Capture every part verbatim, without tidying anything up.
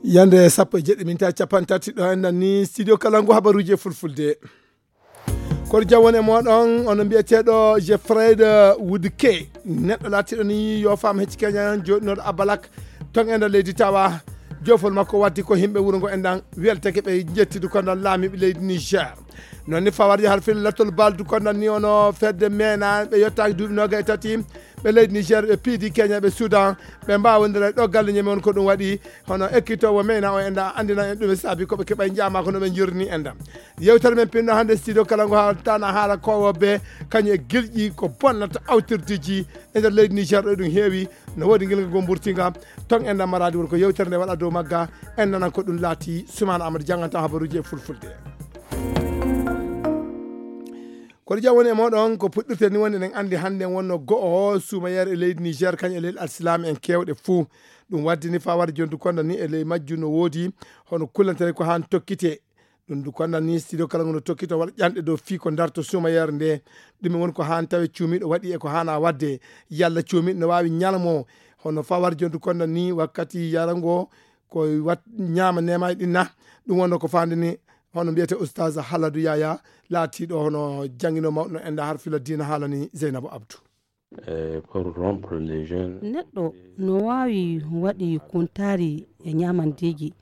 Yande sappo e jeɗɗi minta capanɗe tati ɗo enɗan ni studio kala ngu habaruji e fulfulde. Kono jam woni e moɗon, ono mbiyeteɗo Jeffrey Woodke, neɗɗo laatiɗo ni yo faam hecci keñan joɗinoɗo abalak ton e nder leydi tawa jofol makko waddi ko himɓe wuro ngo enɗan weltake ɓe jettidu ko nder laamiɓe leydi Niger. Noon ni fawarje har fil lattol baldu ko nder ni ono fedde mena ɓe yettaki duuɓi noga e tati ɓe leydi Niger ɓe piidi Kenya ɓe Sudan ɓe mbawodira ɗo galle ñeme on ko ɗum waɗi. Hono ekkitowo mena o enɗa andina en ɗum e saabi koɓe keɓa jama ko no ɓe jurni enɗa. Yewtere men pinno hannde studio kala ngo haaltana haala kowoɓe kañum e gilƴi ko bonnata awtirdeji e nder leydi Niger ɗo ɗum heewi. No woodi ngilga goo mburtinga ton enɗa maradi woni ko yewtere nde waɗa dow magga. En nanan ko ɗum laati sumana amadou janganta habaruji e fulfulde. Kono jam woni e moɗon ko puɗɗirte ni woni eɗen andi hannde wonno go'o suumayere e leydi Niger kañum e leydi alsilaami en kewɗe fuu. Ɗum waddi ni fawade jontu konda ni e ley majju no woodi hono kullantere ko han tokkite. Ɗum du konda ni studio kala ngono tokkito waɗa ƴanɗe dow fii ko darto suumayere nde. Ɗum woni ko han tawe cuumiɗo waɗi e ko hana wadde yalla cuumiɗo no wawi ñalmo hono fawade jontu konda ni wakkati yarango ko wat ñama nema e ɗinna. Ɗum wonno ko fande ni hono mbiyete oustaz Haladu Yaya laatiɗo hono jangino mawɗo no enda har fila diina haalani Zeynabu Abdou. Neɗɗo no waawi waɗi kuntaari e ñaamandeeji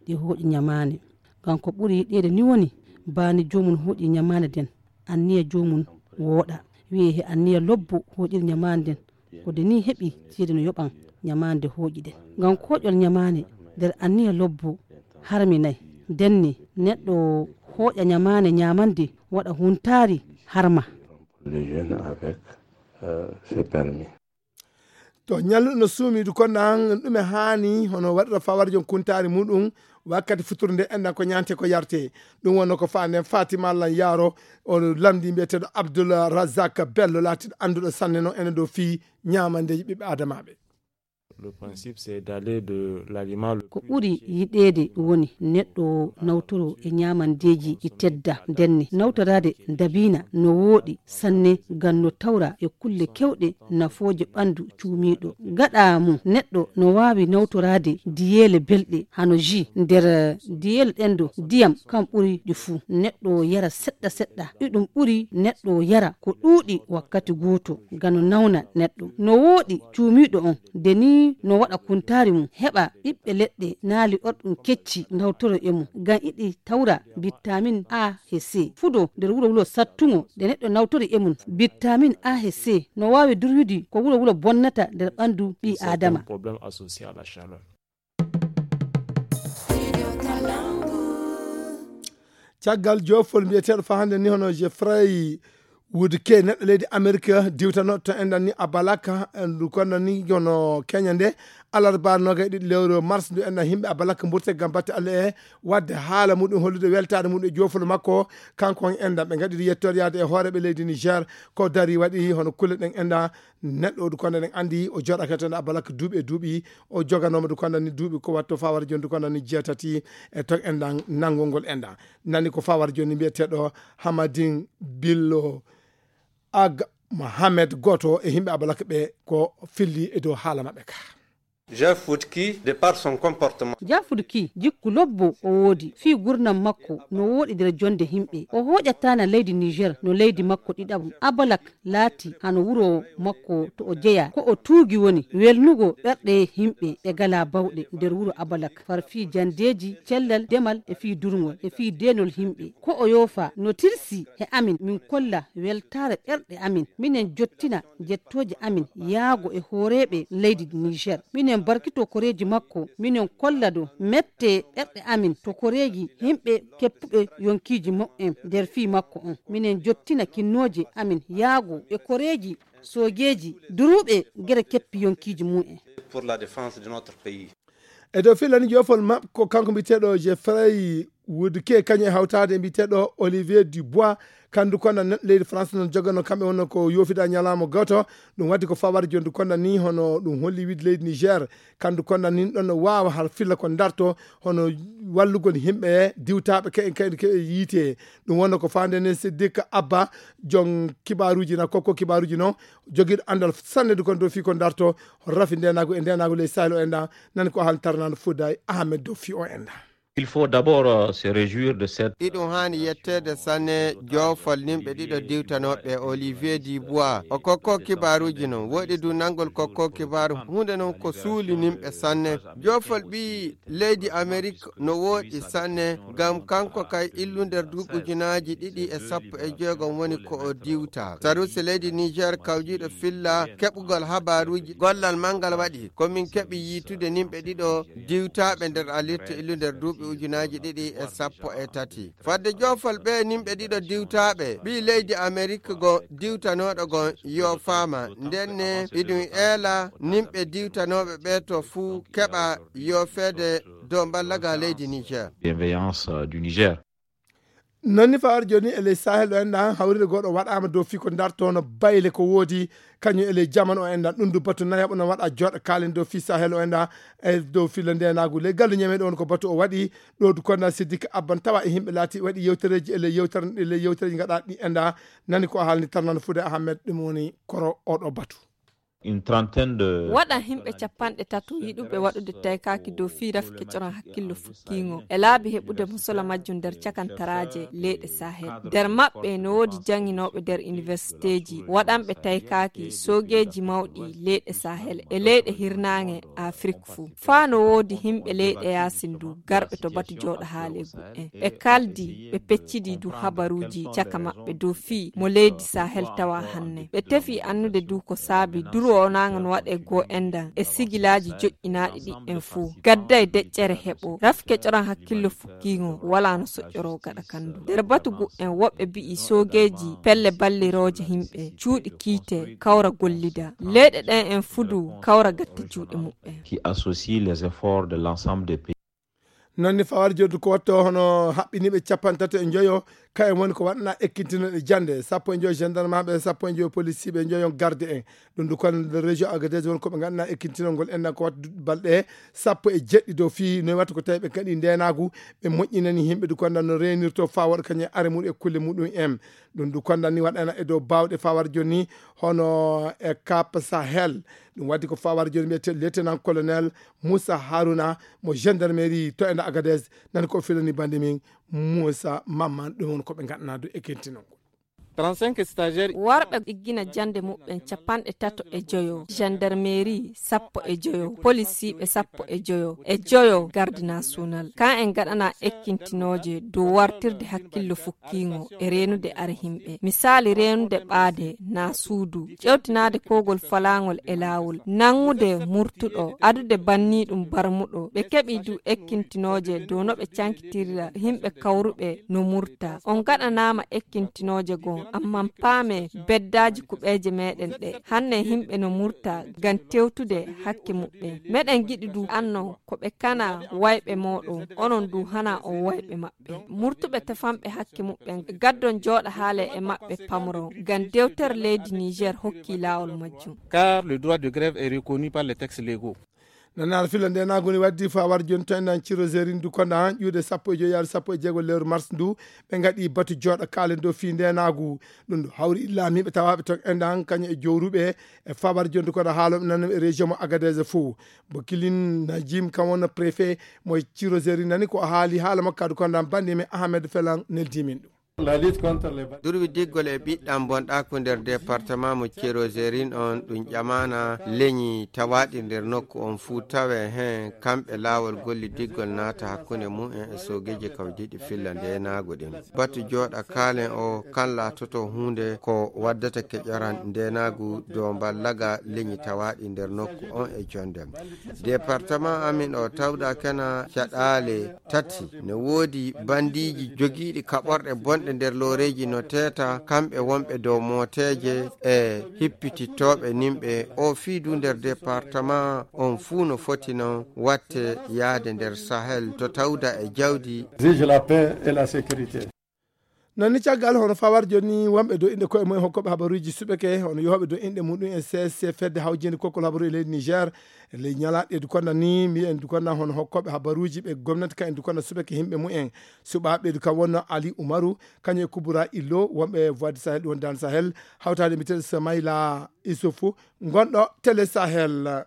ɗi hooƴi ñamaane. Ngam ko ɓuri yiɗeede ni woni baane joomum hooƴi ñamaane nden, anniya joomum wooɗa. Wi'ee he anniya lobbo hooƴiri ñamaane nden, ko de ni heɓi ceede no yoɓan ñamaande hooƴi ɗen. Ngam kooƴol ñamaane nder anniya lobbo harminay. Nden ni neɗɗo hooƴa ñamaane ñaamande waɗa huntaari harma. To ñalluɗo no suumidu konnan ɗume haani hono waɗata fawarjon kuntaari muɗum wakkati futuro nde enɗan ko ñante ko yarte. Ɗum wonno ko faa nden fatima lan yaaro o lamdi mbiyeteɗo abdoul razak bello laatiɗo annduɗo sanne noon ene dow fii ñaamandeeji ɓiɓɓe adamaaɓe. Ko ɓuri yiɗeede woni neɗɗo nawtoro e ñaamandeeji ɗi tedda ndenne nawtoraade ndabiina no wooɗi sanne ngam no tawra e kulle kewɗe nafooje ɓanndu cuumiiɗo. Gaɗa mum neɗɗo no waawi nawtoraade diyeele belɗe hano ji nder diyeele ɗen do ndiyam kam ɓuri ɗi fuu neɗɗo yara seɗɗa seɗɗa. Iɗum ɓuri neɗɗo yara ko ɗuuɗi wakkati gooto ngam no nawna neɗɗo. No wooɗi cuumiiɗo on de ni no waɗa kuntaari mum heɓa ɓiɓɓe leɗɗe naali orɗum kecci nawtoro e mum ngam iɗi tawra bittamin A he C fudo nder wuro wulo sattuŋo nde neɗɗo nawtori e mum. Bittamin A he C no waawi durwidi ko wuro wulo bonnata nder ɓanndu ɓii aadama. Caggal jofol mbiyeteeɗo faa hannde ni hono Jeffrey Woodke neɗɗo leydi Amerique diwtano to enɗan ni Abalaka ndu konno ni hono Kenya nde alarba noga e ɗiɗi lewru mars ndu enɗan himɓe Abalaka mburte gam batte Allah e wadde haala muɗum hollude weltaade muɗum e jofol makko. Kanko on enɗan ɓe gaɗiri yettoode yaade e hooreɓe leydi Niger ko dari waɗi hono kulle ɗen enɗan neɗɗo o dukonda ɗen andi o joɗaka tan Abalaka duuɓi e duuɓi o joganoma dukonda ni duuɓi ko watto fawara joni dukonda ni jeetati e ton enɗan nanngol ngol enɗan. Nani ko fawar joni mbiyeteɗo Hamadin Billo Ag Mohamed goto e himɓe Abalak ɓe ko filli e dow haala maɓɓe ka. Jeff Woodkey de par son comportement. Jafudki jikku lobbo o woodi fii gurnam makko no wooɗi nder jonde himɓe o hooƴattaana leydi Niger no leydi makko ɗiɗaɓum Abalak laati hano wuro makko to o jeyaa ko o tuugi woni welnugo ɓerɗe himɓe ɓe galaa bawɗe nder wuro Abalak far fii jandeeji cellal demal e fii durngol e fii deenol himɓe ko o yoofa no tilsi he amin min kolla weltaare ɓerɗe amin minen jottina jettooje amin yaago e hooreeɓe leydi Niger minen barkito koreeji makko minen kolla do mette ɓerɗe amin to koreeji himɓe keppuɓe yonkiiji mu'en nder fii makko on minen jottina kinnooje amin yaago e koreeji soojeeji duruuɓe gere keppi yonkiiji mu'en. Pour la défense de notre pays. E dow filani jofol maɓɓe ko kanko mbiyeteɗo Jeffrey Wuudu ke kañum e hawtaade e mbiyeteeɗo Olivier Dubois, kandu konda neɗɗo leydi France noon jogano kamɓe wonno ko yoofida ñalaama gooto. Ɗum waɗi ko fawar jondu konda ni hono ɗum holli wiide leydi Niger. Kandu konda ni ɗon no waawa har filla ko darto hono wallugol yimɓe diwtaaɓe ke en kaydi ke yiite. Ɗum wonno ko faande ne Siddik Abba, jon kibaaruuji na kokko kibaaruuji noon jogiiɗo anndal sanne du kon dow fii ko darto rafi ndenaagu e ndenaagu ley Sahel o enda. Nani ko hal tarnaan Fouday Ahmed dow fii o enda. Il faut d'abord, euh, se réjouir de cette Iɗum haani yetteede sanne joofol nimɓe ɗiɗo diwtanooɓe Olivier Dubois. O kokko kibaaruuji noon. Woɗi du nanngol kokko kibaaru huunde noon ko suuli nimɓe sanne. Joofol ɓii leydi Amerik no woɗi sanne, ngam kanko kay illu nder duuɓi ujunaaji ɗiɗi e sappo e jeegom woni ko o diwta. Sarusi leydi Niger kawjiiɗo filla keɓugol habaaruuji gollal manngal waɗi. Ko min keɓi yiitude nimɓe ɗiɗo diwtaaɓe nder alirte illu nder duuɓi ujunaaji ɗiɗi e sappo e tati. Fadde joofol ɓe nimɓe ɗiɗo diwtaaɓe, ɓii leydi Amerik go diwtanooɗo go yoofaama. Ndenne iɗum eela nimɓe diwtanooɓe ɓe to fuu keɓa yoofeede dow mballaga leydi Niger. Bienveillance, euh, du Niger. Noon ni fawar jooni e ley Sahel o enɗa hawride goɗɗo waɗaama dow fii ko darto no bayle ko woodi kañum e ley jamanu o enɗa ɗum du batu nayaɓo no waɗa jooɗa kaalen dow fii Sahel o enɗa e dow filla ndenaagu ley gallu ñameɗo on ko batu o waɗi ɗo du konda Siddik Abban tawa e yimɓe laati waɗi yewtereeji e ley yewtere e ley yewtereeji gaɗa ɗi enɗa. Nani ko haalni tarnano Fuude Ahmed ɗum woni koro oɗo batu. Une trentaine de Waɗa himɓe capanɗe tato yiɗuɓe waɗude taykaaki dow fii rafi kecoran hakkillo fukkiingo e laabi heɓude mo sola majjum nder cakantaraaje leyɗe Sahel. Nder maɓɓe no woodi jannginooɓe nder iniwersiteeji, waɗanɓe taykaaki, soogeeji mawɗi leyɗe Sahel e leyɗe hirnaange Afrik fuu. Faa no woodi himɓe leyɗe yaasin du garɓe to batu jooɗa haaleegu'en. Ɓe kaldi, ɓe peccidi du habaruuji caka maɓɓe dow fii mo leydi Sahel tawa hanne. Ɓe tefi annude du ko saabi duru o naangan waɗe goo endan e sigilaaji joƴƴinaaɗi ɗi'en fuu. Gadday deƴƴere heɓo. Rafi kecoran hakkillo fukkiingo walaa no soƴƴoroo gaɗa kandu. Nder batu gu'en woɓɓe bi'i soogeeji pelle ballirooje himɓe, cuuɗi kiite, kawra gollida. Leyɗe ɗen en fuu du kawra gatta juuɗe muɓɓen. Qui associe les efforts de l'ensemble des pays. Noon ni fawar joddu ko watto hono haɓɓiniiɓe capanɗe tato e njoyo, kayen woni ko waɗana ekkintinooɗe jannde, sappo e njoyo gendarme ɓe, sappo e njoyo policier ɓe, njoyo garde en. Ɗum du kon région Agadez woni ko ɓe ngaɗana ekkintinol ngol enɗan ko watta duɗɗi balɗe sappo e jeɗɗi dow fii no watta ko tawi ɓe kaɗi ndenaagu, ɓe moƴƴinani yimɓe du kondan no reenirto faa waɗa kañum e are muɗum e kulle muɗum en. Ɗum du kondan ni waɗana e dow baawɗe fawar jooni hono e Cap Sahel. Ɗum waɗi ko fawar jooni mbiyete lieutenant colonel Moussa Harouna mo gendarmerie to enɗa Agadez, nani ko filani bande min Moussa Mamman, ɗum woni ko ɓe ngaɗana du ekkintinol ngol. Trente-cinq stagiaires. Warɓe iggina jannde muɓɓen capanɗe tato e joyo, gendarmerie sappo e joyo, polisiiɓe sappo e joyo, e joyo garde national. Kan en gaɗana ekkintinooje dow wartirde hakkillo fukkiingo e reenude are himɓe. Misaali reenude ɓaade naa suudu, ƴewtinaade kowgol falaangol e laawol, nanŋude murtuɗo, adude banniiɗum barmuɗo. Ɓe keɓi du ekkintinooje dow no ɓe cankitirira himɓe kawruɓe no murta. On gaɗanaama ekkintinooje goo, ammaa paame beddaaji kuɓeeje meɗen ɗe. Hanne himɓe no murta ngam tewtude hakke muɓɓen. Meɗen giɗi du anno ko ɓe kana wayɓe mooɗon, onon du hana on wayɓe maɓɓe. Murtuɓe tefanɓe hakke muɓɓen, gaddon jooɗa haale e maɓɓe pamron. Ngam dewtere leydi Niger hokki laawol majjum. Car le droit de grève est reconnu par les textes légaux. Nanaara filla ndenaagu ni waddi fawar jooni to enɗan Ciro Zerin du konda ƴuude sappo e joyi yaade sappo e jeego lewru mars ndu, ɓe ngaɗi batu jooɗa kaalen dow fii ndenaagu. Ɗum du hawri laamiiɓe tawaaɓe ton enɗan kañum e jowruɓe e fawar jooni du konda haalooɓe nan e région mo Agadez fof. Bo Kilin Najim kam wonno préfet mo Ciro Zerin nani ko haali haala makko du konda bandi men Ahmed Felan neldi min ɗum. Durwi diggol e ɓiɗɗam bonɗaaku nder département mo Ciro Zerin on ɗum ƴamaana leñi tawaaɗi nder nokku on fuu tawe heen kamɓe laawol golli diggol naata hakkunde mum en e soogeeji kawjiiɗi filla ndeenaagu ɗin. Batu jooɗa kaalen o kan laatoto huunde ko waddata keƴoran ndeenaagu dow mballaga leñi tawaaɗi nder nokku on e jonde. Département amin o tawda kena caɗaale tati. Ne woodi bandiiji jogiiɗi kaɓorɗe bonɗe E nder looreeji no teeta, kamɓe wonɓe dow mooteeje e hippitittooɓe nimɓe, o fii du nder département on fuu no foti non watte yaade nder Sahel to tawda e jawdi. Exige la paix et la sécurité. Non ni caggal hono fawar joni wonɓe dow inɗe koye mumen hokkooɓe habaruuji suɓeke, hono yohooɓe dow inɗe muɗum e C S C fedde hawjinde kokkol habaru e leydi Niger. E ley ñalaaɗe du konda ni, mbiyen du konda hono hokkooɓe habaruuji ɓe gomnati kan en du konda suɓeke himɓe mumen. Suɓaaɓe du kan wonno Ali Umaru, kañum e Kubura Illo, wonɓe Voix du Sahel, ɗum woni Dan Sahel, hawtaade mbiteeɗo Samaila Isufu, gonɗo Télé Sahel.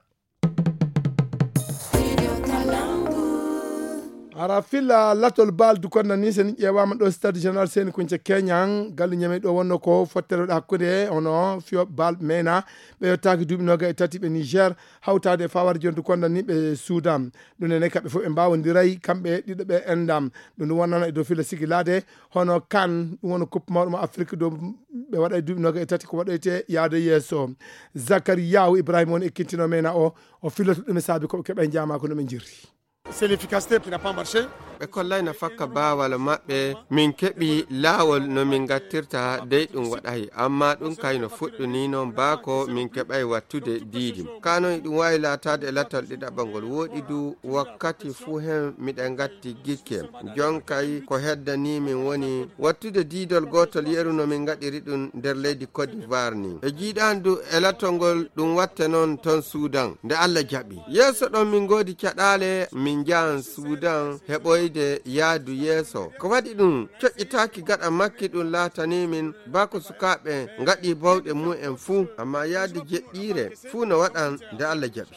Ara filla latol bal du konda ni, sen ƴeewaama ɗo Stade Général Seni Kunce Keñan, gallu ñame ɗo wonno ko fottere waɗa hakkunde hono fiyo bal mena, ɓe yottaaki duuɓi noga e tati ɓe Niger, hawtaade fawar jontu konda ni ɓe Sudan. Ɗum ene kamɓe fof ɓe mbawondiray, kamɓe ɗiɗo ɓe endam. Ɗum ɗum wonnano e dow filla sigilaade, hono kan, ɗum woni coupe mawɗo mo Afrique dow ɓe waɗa e duuɓi noga e tati ko waɗoyte yaade yeeso. Zakariyahu Ibrahima woni e kintino mena o, o filloto ɗum e saabi ko ɓe keɓa e jaama ko no ɓe jirri. C'est l'efficacité qui n'a pas marché. Ɓe kollay no fakka baawal maɓɓe, min keɓi laawol no min ngattirta dey ɗum waɗay, amma ɗum kay no fuɗɗuni noon baa ko min keɓay wattude diidi. Kaa noon ɗum waawi laataade e latal ɗiɗaɓal ngol wooɗi du wakkati fuu heen miɗen ngatti gikke. Jon kay ko heddanii min woni wattude diidol gootol yeru no min ngaɗiri ɗum nder leydi Côte d'Ivoire ni. E jiiɗaani du e lattol ngol ɗum watte noon toon Suudan, nde Alla jaɓi. Yeeso ɗon min ngoodi caɗaale, min njahan Suudan heɓoyde yaadu yeeso. Ko waɗi ɗum coƴƴitaaki gaɗa makki ɗum laatanii min baa ko sukaaɓe ngaɗi bawɗe mumen fuu, amma yaadu jeɗɗiire fuu no waɗan nde Alla jaɓi.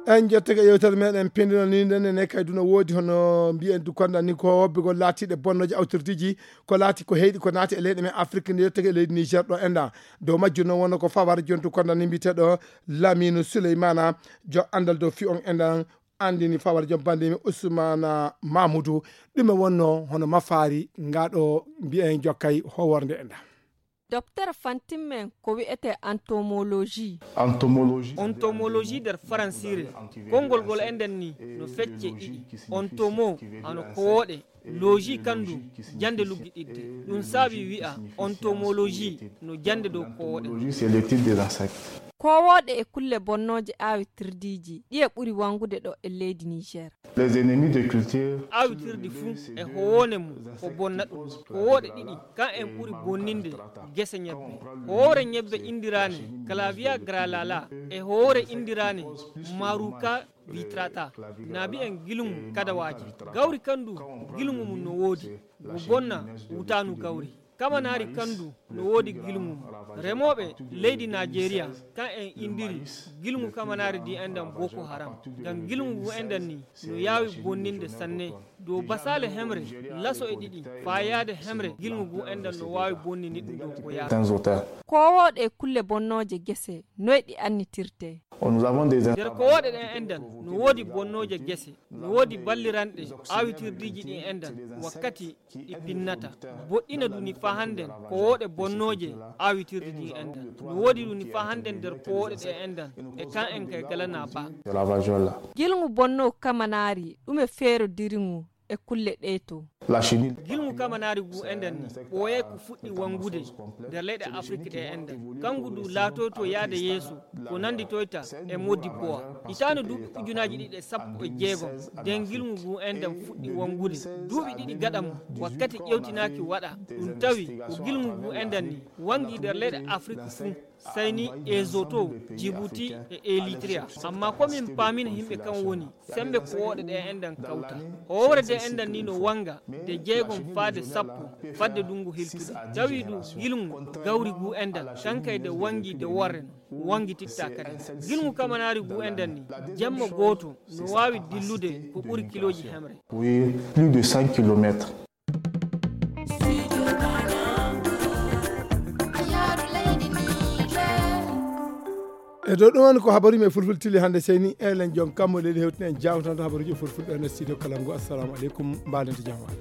En jottake yewtere meɗen pindino ni nden ne kay duno woodi hono mbiyen du konda ni ko wobbegol laatiɗe bonnooje awtirdiiji ko laati ko heyɗi ko naati e leyɗe men Afrique nde yottake e leydi Niger ɗo enda dow majjum noon wonno ko fawar jontu konda ni mbiyeteɗo Lamine Souleymana jo andal dow fi on endan andini fawar jom bandimi Ousmane Mamoudou ɗum e wonno hono mafaari ngaɗo mbiyen jokkay howorde enda. Docteur fantimmen ko wi'ete entomologie. Entomologie nder faransiire konngol ngol enɗen ni no fecce ɗiɗi, ontomo hano kowooɗe, logie kandu jannde luggiɗidde. Ɗum saabi wi'a entomologie no jannde dow kowooɗe. Kowooɗe e kulle bonnooje aawitirdiiji ɗiye ɓuri wangude ɗo e leydi Niger. Aawitirdi fuu e howoone mum ko bonna ɗum. Kowooɗe ɗiɗi kan en ɓuri bonninde gese ñebbe. Hoore ñebbe indiraane Clavia grallata e hoore indiraane Maruca vitrata. Naabi en gilŋu kadawaaji. Gawri kandu gilŋu mum no woodi. Ngu bonna wutaanu gawri. Kamanaari kandu no woodi gilŋu mum. Remooɓe leydi Najeriya kan en indiri gilŋu kamanaari ndi enɗan Boko Haram. Ngam gilŋu ngu enɗan ni no yaawi bonninde sanne. Dow basaale hemre laso e ɗiɗi faa yaade hemre gilŋu ngu enɗan no waawi bonnini ɗum dow ko yaawi. Kowooɗe kulle bonnooje gese noy ɗi annitirte? Nder kowooɗe ɗen enɗan no woodi bonnooje gese, no woodi balliranɗe aawitirdiiji ɗin enɗan wakkati ɗi pinnata. Boɗɗina duni faa hannden kowooɗe bonnooje aawitirdi ɗin enɗan. No woodi duni faa hannden nder kowooɗe ɗe enɗan e kan en kay galana baa. Gilŋu bonno kamanaari ɗume feerodiri ngu e kulle ɗee to. Gilŋu kamanaari ngu enɗan ni ɓooyay ko fuɗɗi wangude nder leyɗe Afrik ɗe enɗan. Kangu du laatoyto yaade yeeso ko nannditoyta e Modibo. Hitaande duuɓi ujunaaji ɗiɗi e sappo e jeegom nden gilŋu ngu enɗan fuɗɗi wangude. Duuɓi ɗiɗi gaɗa mum wakkati ƴewtinaaki waɗa ɗum tawi ko gilŋu ngu enɗan ni wangi nder leyɗe Afrik fuu. Sayni Ezoto, Djibouti e Eritrea. Amma ko min paamina yimɓe kan woni sembe kowooɗe ɗe enɗan kawta. Hoore de enɗan ni no wanga de jeegom faade sappo fadde dungu hiltude. Tawi du gilŋu gawri gu enɗan kan kay de wangi de worre no wangi titta kadi. Gilŋu kamanaari gu enɗan ni jemma gooto no waawi dillude ko ɓuri kilooji hemre. Oui, plus de cent kilomètres. E dow ɗum woni ko habaruji men fulfulde tili hannde seyni elen jon kammo leydi hewtini en jawtanto habaruji fulfulde ene studio kalangu. Assalamu aleykum, mbaɗen to jamaare.